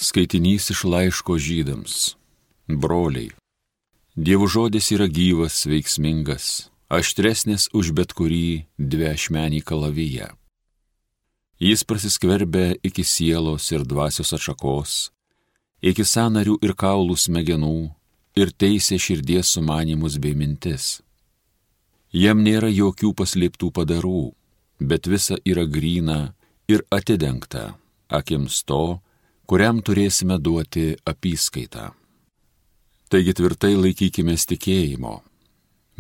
Skaitinys iš laiško Žydams. Broliai, Dievo žodis yra gyvas, veiksmingas, aštresnis už bet kurį dviašmenį kalaviją. Jis prasiskverbia iki sielos ir dvasios atšakos, iki sąnarių ir kaulų smegenų ir teisia širdies sumanymus bei mintis. Jam nėra jokių paslėptų padarų, bet visa yra gryna ir atidengta akims to, kuriam turėsime duoti apyskaitą. Taigi tvirtai laikykimės tikėjimo.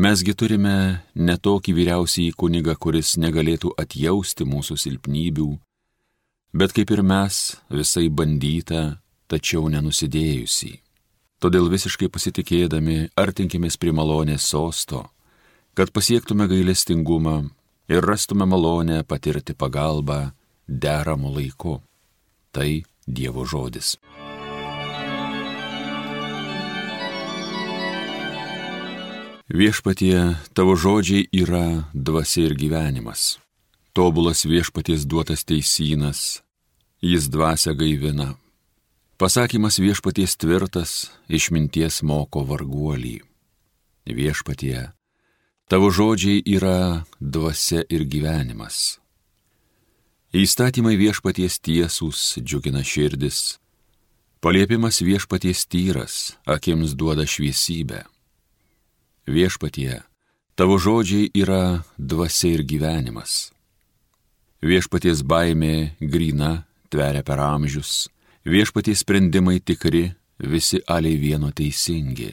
Mesgi turime ne tokį vyriausiąjį kunigą, kuris negalėtų atjausti mūsų silpnybių, bet kaip ir mes, visai bandyta, tačiau nenusidėjusį. Todėl visiškai pasitikėdami artinkimės prie malonės sosto, kad pasiektume gailestingumą ir rastume malonę patirti pagalbą deramu laiku. Tai Dievo žodis. Viešpatie, tavo žodžiai yra dvasia ir gyvenimas. Tobulas viešpaties duotas teisynas, jis dvasią gaivina. Pasakymas viešpaties tvirtas, išminties moko varguolį. Viešpatie, tavo žodžiai yra dvasia ir gyvenimas. Įstatymai viešpaties tiesūs džiugina širdis, paliepimas viešpaties tyras, akims duoda šviesybę. Viešpatie, tavo žodžiai yra dvasia ir gyvenimas. Viešpaties baimė gryna, tveria per amžius, viešpaties sprendimai tikri, visi aliai vieno teisingi.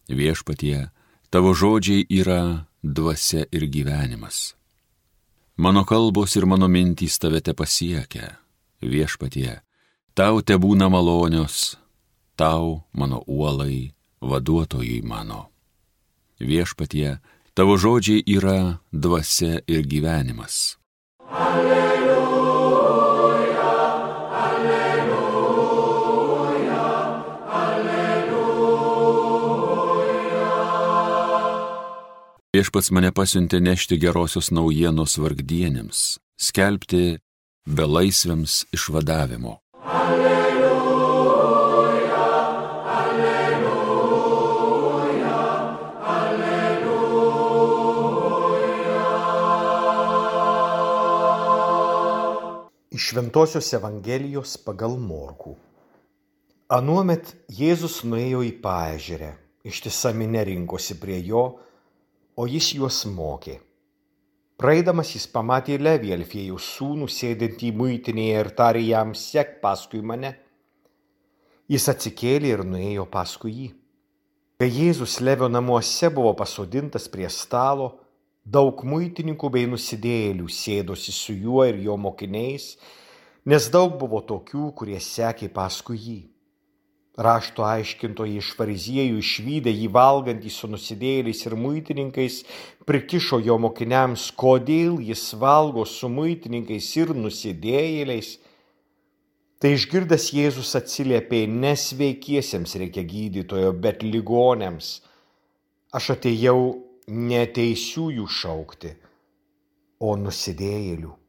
Viešpatie, tavo žodžiai yra dvasia ir gyvenimas. Mano kalbos ir mano mintys tave te pasiekia. Viešpatie, tau te būna malonios, tau, mano uolai, vaduotojai mano. Viešpatie, tavo žodžiai yra dvasia ir gyvenimas. Alleluja, alleluja, alleluja. Viešpats mane pasiuntė nešti gerosios naujienos vargdienėms, skelbti belaisviams išvadavimo. Alleluja, alleluja, alleluja. Iš Šventosios Evangelijos pagal Morkų. Anuomet Jėzus nuėjo į paežerę, ištisa minia rinkosi prie jo, o jis juos mokė. Praeidamas jis pamatė Levį, Alfiejaus sūnų, sėdintį muitinėje ir tarė jam: sek paskui mane. Jis atsikėlė ir nuėjo paskui jį. Kai Jėzus Levio namuose buvo pasodintas prie stalo, daug muitininkų bei nusidėjėlių sėdosi su juo ir jo mokiniais, nes daug buvo tokių, kurie sekė paskui jį. Rašto aiškintojai iš fariziejų išvydę jį valgantį su nusidėjėliais ir muitininkais, prikišo jo mokiniams, kodėl jis valgo su muitininkais ir nusidėjėliais. Tai išgirdęs Jėzus atsiliepė: nesveikiesiems reikia gydytojo, bet ligoniams. Aš atėjau ne teisiųjų šaukti, o nusidėjėlių.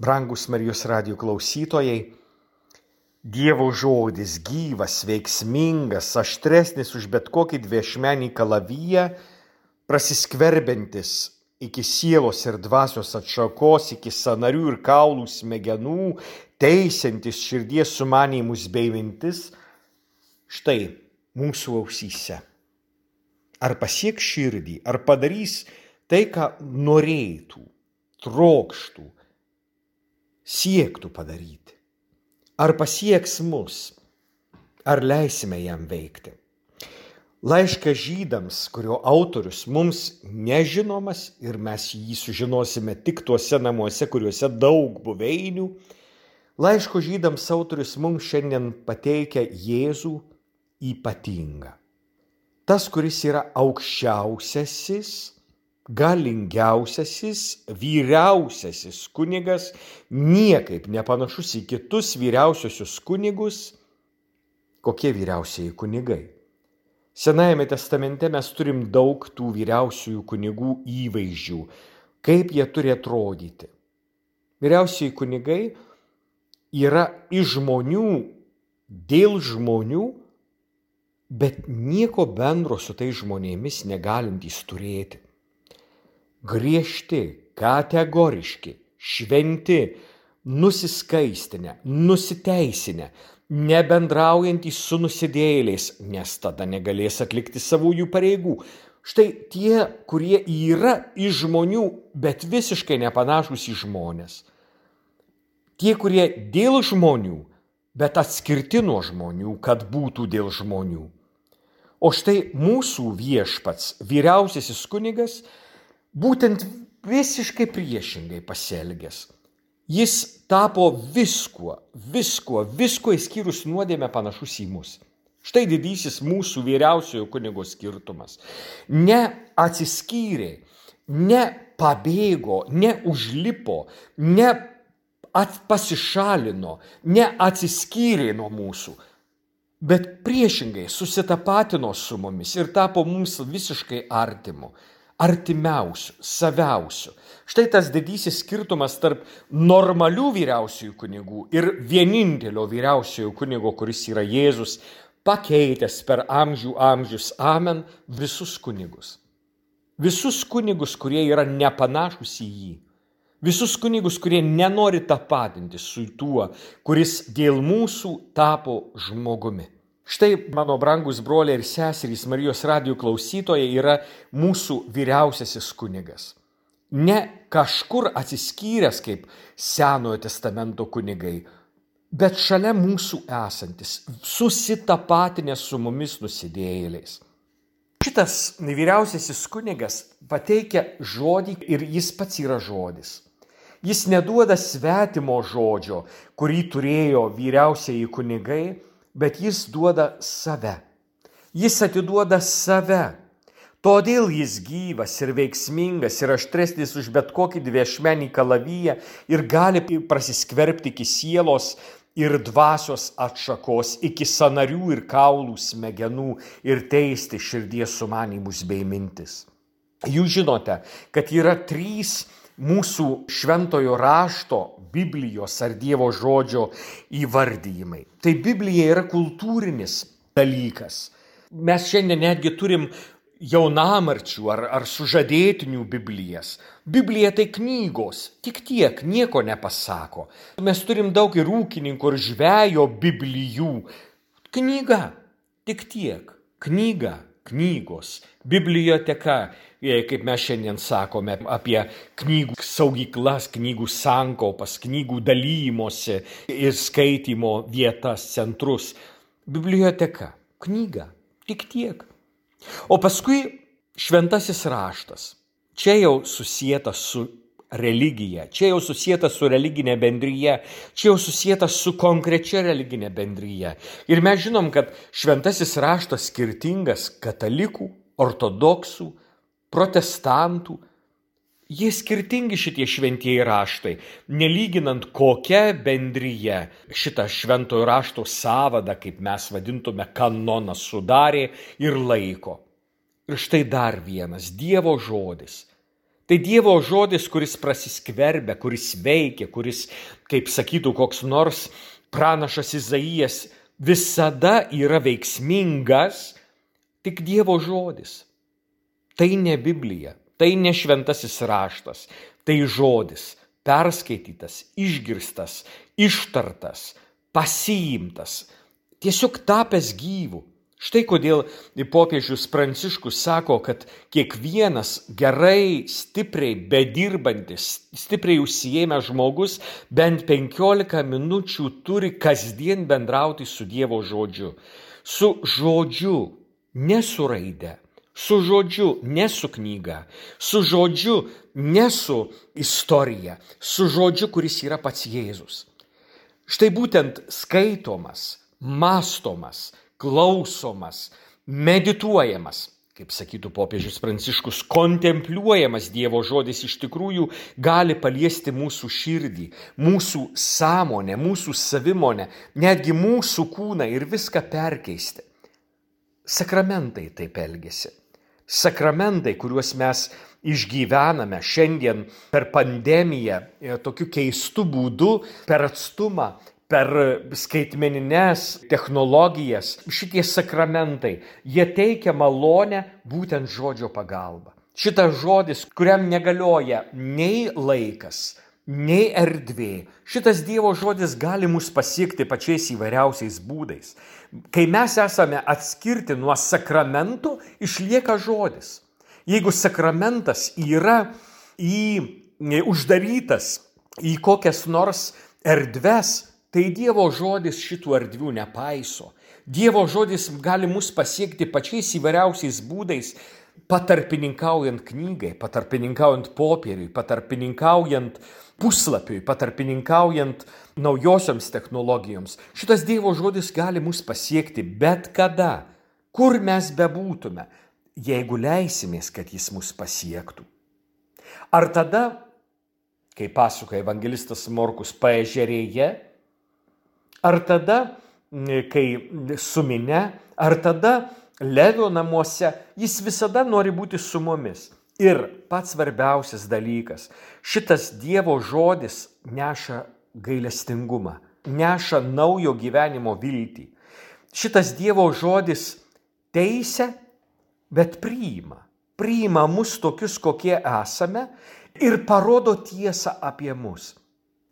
Brangus Marijos radijo klausytojai, Dievo žodis gyvas, veiksmingas, aštresnis už bet kokį dviašmenį kalaviją, prasiskverbiantis iki sielos ir dvasios atšakos, iki sąnarių ir kaulų smegenų, teisiantis širdies sumanymus bei mintis, štai mūsų ausyse. Ar pasieks širdį, ar padarys tai, ką norėtų, trokštų, siektų padaryti. Ar pasieks mus, ar leisime jam veikti. Laiškas Žydams, kurio autorius mums nežinomas ir mes jį sužinosime tik tuose namuose, kuriuose daug buveinių, laiško Žydams autorius mums šiandien pateikia Jėzų ypatingą. Tas, kuris yra aukščiausiasis, galingiausiasis, vyriausiasis kunigas, niekaip nepanašus į kitus vyriausiosius kunigus. Kokie vyriausieji kunigai? Senajame testamente mes turim daug tų vyriausiųjų kunigų įvaizdžių, kaip jie turi atrodyti. Vyriausieji kunigai yra iš žmonių, dėl žmonių, bet nieko bendro su tai žmonėmis negalintys turėti. Griežti, kategoriški, šventi, nusiskaistinę, nusiteisinę, nebendraujantys su nusidėjėliais, nes tada negalės atlikti savųjų pareigų. Štai tie, kurie yra iš žmonių, bet visiškai nepanašūs į žmonės. Tie, kurie dėl žmonių, bet atskirti nuo žmonių, kad būtų dėl žmonių. O štai mūsų viešpats, vyriausiasis kunigas, būtent visiškai priešingai pasielgęs. Jis tapo viskuo išskyrus nuodėmę panašus į mus. Štai didysis mūsų vyriausiojo kunigo skirtumas. Ne atsiskyrė, ne pabėgo, ne užlipo, ne pasišalino, ne atsiskyrė nuo mūsų, bet priešingai susitapatino su mumis ir tapo mums visiškai artimu. Artimiausių, saviausių. Štai tas didysis skirtumas tarp normalių vyriausiųjų kunigų ir vienintelio vyriausiojo kunigo, kuris yra Jėzus, pakeitęs per amžius, amen, visus kunigus. Visus kunigus, kurie yra nepanašus į jį. Visus kunigus, kurie nenori tapatinti su tuo, kuris dėl mūsų tapo žmogumi. Štai, mano brangus broliai ir seserys, Marijos radijo klausytojai, yra mūsų vyriausiasis kunigas. Ne kažkur atsiskyręs kaip Senojo testamento kunigai, bet šalia mūsų esantis, susitapatinęs su mumis nusidėjėliais. Šitas vyriausiasis kunigas pateikia žodį ir jis pats yra žodis. Jis neduoda svetimo žodžio, kurį turėjo vyriausieji kunigai, bet jis duoda save. Jis atiduoda save. Todėl jis gyvas ir veiksmingas ir aštresnis už bet kokį dviašmenį kalaviją ir gali prasiskverbti iki sielos ir dvasios atšakos, iki sąnarių ir kaulų smegenų ir teisti širdies sumanymus bei mintis. Jūs žinote, kad yra 3 mūsų šventojo rašto, Biblijos ar Dievo žodžio įvardijimai. Tai Biblija yra kultūrinis dalykas. Mes šiandien netgi turim jaunamarčių ar sužadėtinių Biblijas. Biblija tai knygos, tik tiek, nieko nepasako. Mes turim daug ir ūkininkų, ir žvejo Biblijų. Knyga, tik tiek, knyga, knygos, biblioteka, kaip mes šiandien sakome apie knygų saugyklas, knygų sankaupas, knygų dalymosi ir skaitymo vietas, centrus. Biblioteka, knyga, tik tiek. O paskui šventasis raštas. Čia jau susietas su religija, čia jau susietas su religinė bendryje, čia jau susietas su konkrečia religinė bendryje. Ir mes žinom, kad šventasis raštas skirtingas katalikų, ortodoksų, protestantų. Jie skirtingi šitie šventieji raštai, nelyginant kokia bendryje šitą šventojo rašto sąvadą, kaip mes vadintume, kanoną sudarė ir laiko. Ir štai dar vienas Dievo žodis. Tai Dievo žodis, kuris prasiskverbia, kuris veikia, kuris, kaip sakytų koks nors pranašas Izaijas, visada yra veiksmingas, tik Dievo žodis. Tai ne Biblija, tai ne šventasis raštas, tai žodis, perskaitytas, išgirstas, ištartas, pasiimtas, tiesiog tapęs gyvu. Štai kodėl popiežius Pranciškus sako, kad kiekvienas gerai, stipriai bedirbantis, stipriai užsiėmęs žmogus bent 15 minučių turi kasdien bendrauti su Dievo žodžiu. Su žodžiu, ne su raide. Su žodžiu, ne su knyga. Su žodžiu, ne su istorija. Su žodžiu, kuris yra pats Jėzus. Štai būtent skaitomas, mąstomas, klausomas, medituojamas, kaip sakytų popiežius Pranciškus, kontempliuojamas Dievo žodis iš tikrųjų gali paliesti mūsų širdį, mūsų sąmonę, mūsų savimonę, netgi mūsų kūną ir viską perkeisti. Sakramentai taip elgiasi. Sakramentai, kuriuos mes išgyvename šiandien per pandemiją tokiu keistu būdu, per atstumą, per skaitmenines technologijas, šitie sakramentai, jie teikia malonę būtent žodžio pagalba. Šitas žodis, kuriam negalioja nei laikas, nei erdvė. Šitas Dievo žodis gali mus pasiekti pačiais įvairiausiais būdais. Kai mes esame atskirti nuo sakramentų, išlieka žodis. Jeigu sakramentas yra uždarytas į kokias nors erdves, tai Dievo žodis šitų erdvių nepaiso. Dievo žodis gali mus pasiekti pačiais įvairiausiais būdais, patarpininkaujant knygai, patarpininkaujant popieriui, patarpininkaujant puslapiui, patarpininkaujant naujosioms technologijoms. Šitas Dievo žodis gali mus pasiekti bet kada, kur mes bebūtume, jeigu leisimės, kad jis mus pasiektų. Ar tada, kai pasakoja evangelistas Morkus paežerėje, ar tada, kai su minia, ar tada Levio namuose, jis visada nori būti su mumis. Ir pats svarbiausias dalykas, šitas Dievo žodis neša gailestingumą, neša naujo gyvenimo viltį. Šitas Dievo žodis teisia, bet priima mus tokius, kokie esame ir parodo tiesą apie mus.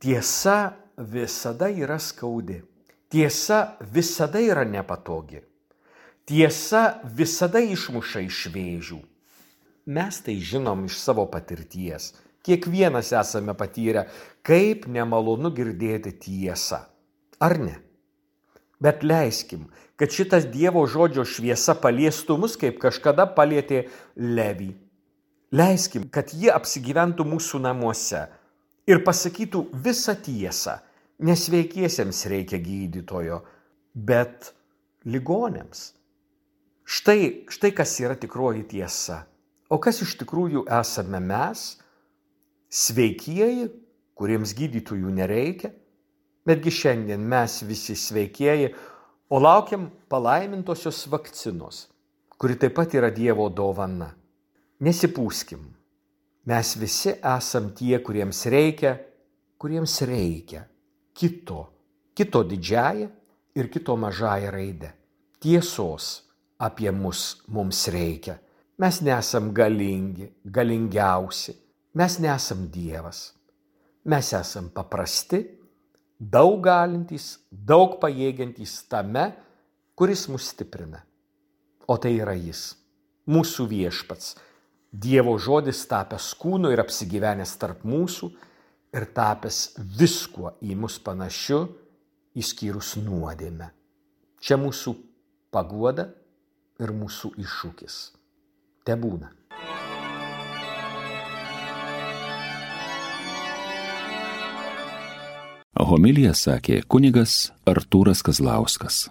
Tiesa visada yra skaudi, tiesa visada yra nepatogi. Tiesa visada išmuša iš vėžių. Mes tai žinom iš savo patirties. Kiekvienas esame patyrę, kaip nemalonu girdėti tiesą. Ar ne? Bet leiskim, kad šitas Dievo žodžio šviesa paliestų mus, kaip kažkada palietė Levį. Leiskim, kad jie apsigyventų mūsų namuose ir pasakytų visą tiesą. Nesveikiesiems reikia gydytojo, bet ligonėms. Štai kas yra tikroji tiesa. O kas iš tikrųjų esame mes, sveikieji, kuriems gydytojų nereikia, betgi šiandien mes visi sveikieji, o laukiam palaimintosios vakcinos, kuri taip pat yra Dievo dovana. Nesipūskim. Mes visi esam tie, kuriems reikia kito didžiąją ir kito mažąją raidę. Tiesos apie mums reikia. Mes nesam galingiausi, mes nesam Dievas. Mes esam paprasti, daug galintys, daug pajėgiantys tame, kuris mus stiprina. O tai yra jis, mūsų viešpats, Dievo žodis tapęs kūnu ir apsigyvenęs tarp mūsų ir tapęs viskuo į mus panašiu, išskyrus nuodėmę. Čia mūsų paguoda ir mūsų iššūkis. Tebūna. Homiliją sakė kunigas Artūras Kazlauskas.